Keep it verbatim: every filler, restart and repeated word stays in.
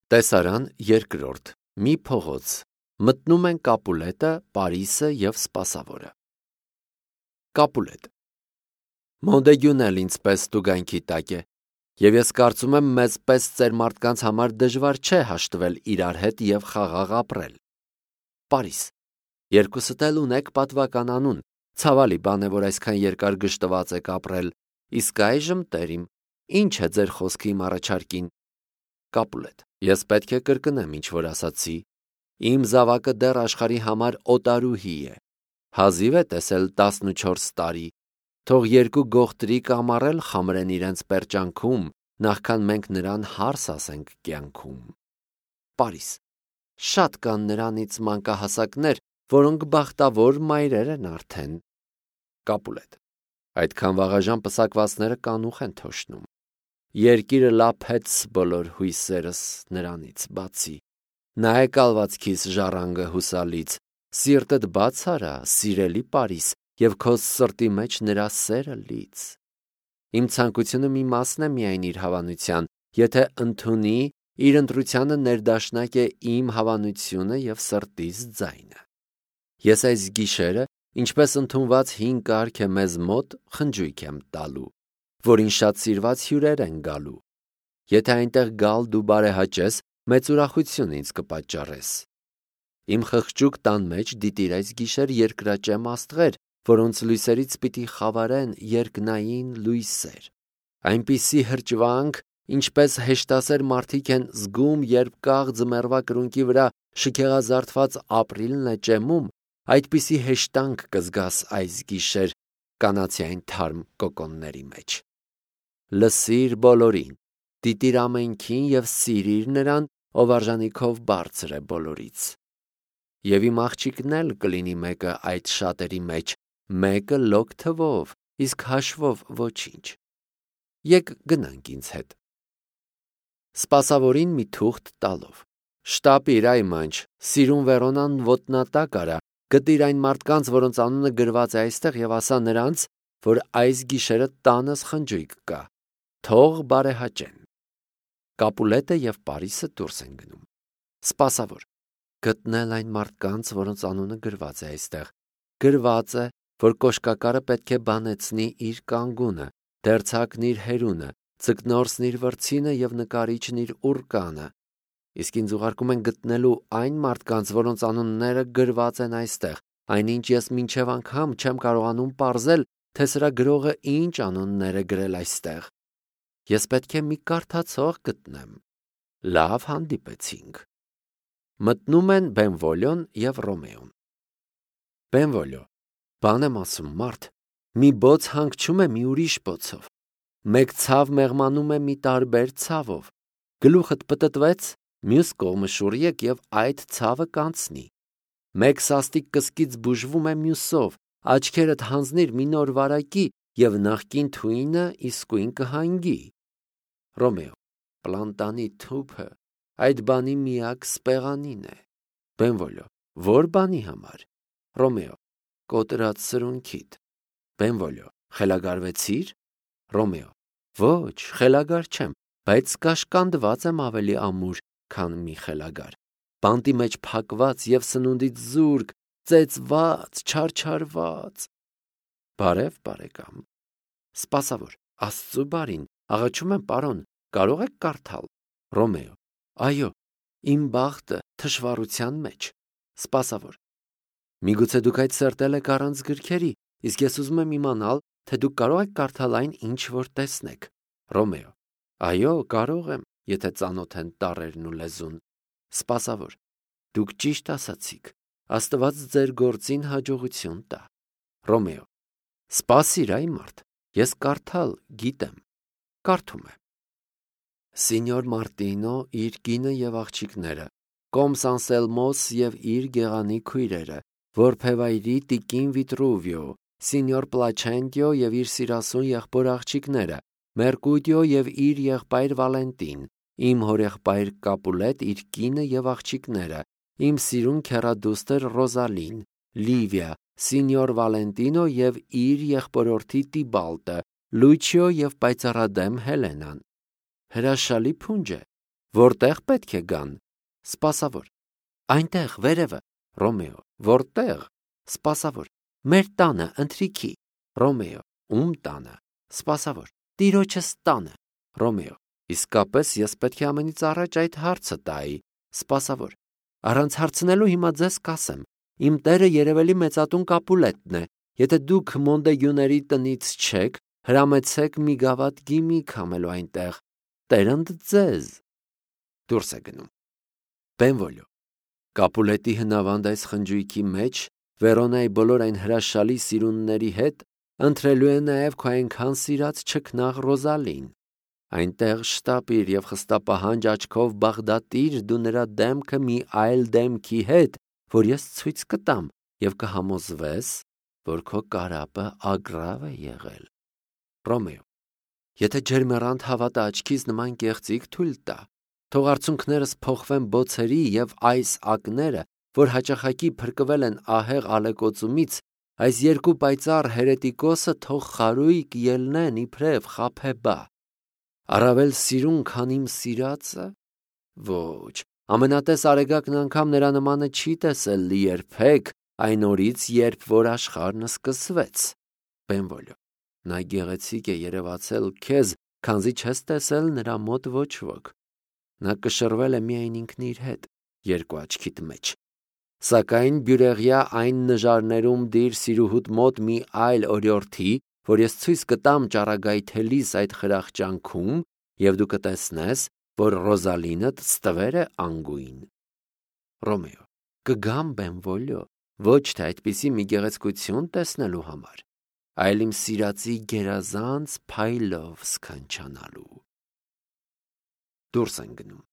Տեսարան երկրորդ. Մի փողոց, մտնում են Կապուլետը, Պարիսը և Սպասավորը։ Կապուլետ. Մոնդեգյուն էլ ինձ պես տուգանքի տակ է, և ես կարծում եմ մեզ պես ծեր մարդկանց համար դժվար չէ հաշտվել իրար հետ և խաղաղ ապրել։ Պարիս. Երկուսդ էլ ունեք պատվական անուն, ցավալի բան է, որ այսքան երկար գժտված եք ապրել, իսկ այժմ տերիմ, ինչ է ձեր խոսքը իմ առաջարկին։ Կապուլետ. Ես պետք է կրկնեմ, ինչ որ ասացի, իմ զավակը դեռ աշխարհի համար օտարուհի է, հազիվ է տեսել տասնուչորս տարի, թող երկու գողտրի կամառել խամրեն իրենց պերճանքում, նախքան մենք նրան հարս ասենք կյանքում։ Պարիս. Շատ կան նրանից մանկահասակներ, որոնք բախտավոր մայրեր են արդեն։ Կապուլետ. Այդքան վաղաժամ պսակվածները կանուխ են թոշնում։ Երկիրը լափեց բոլոր հույսերս նրանից բացի։ Նայ կալվածքիս ժառանգը հուսալից, սիրտդ բաց արա, սիրելի Պարիս, և քո սրտի մեջ նրա սերը լից։ Իմ ցանկությունը մի մասն է միայն իր հավանության, եթե ընդունի, իր ընտրությանը ներդաշնակ է իմ հավանությունը և սրտիս ձայնը։ Ես այս գիշերը, ինչպես ընդունված հին կարգ է մեզ մոտ, խնջույք եմ տալու, որին շատ սիրված հյուրեր են գալու։ Եթե այնտեղ գալ դու բարեհաճես, մեծ ուրախություն ինձ կպատճառես։ Իմ խղճուկ տան մեջ դիտիր այս գիշեր երկրաճեմ աստղեր, որոնց լույսերից պիտի խավարեն երկնային լույսեր։ Այնպիսի հրճվանք, ինչպես հեշտասեր մարդիկ են զգում, երբ կաղ ձմեռվա կրունկի վրա շքեղազարդված ապրիլն է ճեմում, այդպիսի հեշտանք կզգաս այս գիշեր կանացիային թարմ կոկոնների մեջ։ Լսիր բոլորին, դիտիր ամենքին և սիրիր նրան, ով արժանիքով բարձր է բոլորից։ Եվ իմ աղջիկն էլ կլինի մեկը այդ շատերի մեջ, մեկը լոկ թվով, իսկ հաշվով ոչինչ։ Եկ գնանք ինձ հետ։ Սպասավորին մի թուղթ տալով. Շտապիր, այ մանչ, սիրուն Վերոնան ոտնատակ արա, գտիր այն մարդկանց, որոնց անունը գրված է այստեղ, և ասա նրանց, որ այս գիշերը տանս խնջույք կա, թող բարեհաճեն։ Կապուլետը և Պարիսը դուրս են գնում։ Սպասավոր. գտնել այն մարդկանց, որոնց անունը գրված է այստեղ, գրված է, որ կոշկակարը պետք է բանեցնի իր կանգունը, դերձակն իր հերունը, ձկնորսն իր վրձինը և նկարիչն իր ուռկանը։ Իսկ ինձ ուղարկում են գտնելու այն մարդկանց, որոնց անունները գրված են այստեղ, այնինչ ես մինչև անգամ չեմ կարողանում պարզել, թե սրա գրողը ինչ անուններ է գրել այստեղ։ Ես պետք է մի կարդացող գտնեմ։ Լավ, հանդիպեցինք։ Մտնում են Բենվոլիոն և Ռոմեոն։ Բենվոլիո. Բան եմ ասում, մարդ, մի բոց հանգչում է մի ուրիշ բոցով, մեկ ցավ մեղմանում է մի տարբեր ցավով, գլուխդ պտտվեց, մյուս կողմը շուռ եկ և այդ ցավը կանցնի, մեկ սաստիկ կսկից բուժվում է մյուսով, աչքերդ հանձնիր մի նոր վարակի և նախկին թույնը իսկույն կհանգի։ Ռոմեո. Պլանտանի թուփը այդ բանի միակ սպեղանին է։ Բենվոլիո. Որ բանի համար։ Ռոմեո. Կոտրած սրունքիդ։ Բենվոլիո. Խելագարվեցիր։ Ռոմեո. Ոչ, խելագար չեմ, բայց կաշկանդված եմ ավելի ամուր, քան մի խելագար, բանտի մեջ փակված և սնունդից զուրկ, ծեծված, չարչարված։ Բարև, բարեկամ։ Սպասավոր. Աստծու բարին, աղաչում եմ, պարոն, կարող եք կարդալ։ Ռոմեո. Այո, իմ բախտը թշվառության մեջ։ Սպասավոր. Միգուցե դուք այդ սրտել եք առանց գրքերի, իսկ ես ուզում եմ իմանալ, թե դուք կարող եք կարդալ այն, ինչ որ տեսնեք։ Ռոմեո. Այո, կարող եմ, եթե ծանոթ են տառերն ու լեզուն։ Սպասավոր. Դուք ճիշտ ասացիք, Աստված ձեր գործին հաջողություն տա։ Ռոմեո. Սպասիր, այ մարդ, ես կարդալ գիտեմ։ Կարդում է. Սինյոր Մարտինո, իր կինը և աղջիկները, Կոմս Անսելմոս և իր գեղանի քույրերը, որբևայրի տիկին Վիտրուվիո, Սինյոր Պլաչենտիո և իր սիրասուն եղբոր աղջիկները, Մերկուտիո և իր եղբայր Վալենտին, իմ հորեղբայր Կապուլետ, իր կինը և աղջիկները, իմ սիրուն քեռադուստր Ռոզալին, Լիվիա, Սինյոր Վալենտինո և իր եղբորորդի Տիբալտը, Լուչիո և պայծառադեմ Հելենան։ Հրաշալի փունջ է, Որտեղ պետք է գան։ Սպասավոր. Այնտեղ, վերևը։ Ռոմեո. Որտեղ։ Սպասավոր. Մեր տանը, ընթրիքի։ Ռոմեո. Ում տանը։ Սպասավոր. Տիրոջս տանը։ Ռոմեո. Իսկապես ես պետք է ամենից առաջ այդ հարցը տայի։ Սպասավոր. Առանց հարցնելու հիմա ձեզ կասեմ. Իմ տերը երևելի մեծատուն Կապուլետն է։ Եթե դուք Մոնդեգյուների տնից չեք, հրամեցեք մի գավաթ գինի քամելու այնտեղ։ Տերընդ ձեզ։ Դուրս է գնում։ Բենվոլյո. Կապուլետի հնավանդ այս խնջույքի մեջ Վերոնայի բոլոր այն հրաշալի սիրունների հետ ընտրելու է նաև քո այնքան սիրած չքնաղ Ռոզալին։ Այնտեղ շտապիր եւ խստապահանջ աչքով բաղդատիր դու նրա դեմքը մի այլ դեմքի հետ, որ ես ցույց կտամ, եւ կհամոզվես, որ քո կարապը ագրավ է եղել։ Ռոմեո. Եթե ջերմեռանդ հավատը աչքից նման կեղծիք թույլ տա, թող արցունքներս փոխվեն բոցերի եւ այս ակները, որ հաճախակի փրկվել են ահեղ ալեկոծումից, այս երկու պայծառ հերետիկոսը թող խարույկ ելնեն իբրև խաբեբա։ Առավել սիրուն, քան իմ սիրածը։ Ոչ, ամենատես արեգակն անգամ նրա նմանը չի տեսել լի երբեք այն օրից, երբ որ աշխարհն սկսվեց։ Բենվոլյո. Նա գեղեցիկ է երևացել քեզ, քանզի չես տեսել նրա մոտ ոչ ոք։ Նա կշռվել է միայն ինքն իր հետ, երկու աչքիդ մեջ։ Սակայն բյուրեղյա այն նժարներում դիր սիրուհուդ մոտ մի այլ օրիորդի, որ ես ցույց կտամ ճառագայթելիս այդ խրախճանքում, եւ դու կտեսնես, որ Ռոզալինդ ստվեր է անգույն։ Ռոմեո. Կգամ, Բենվոլյո, ոչ թե այդպիսի մի գեղեցկություն տեսնելու համար, այլ իմ սիրածի գերազանց փայլով սքանչանալու։ Դուրս են գնում։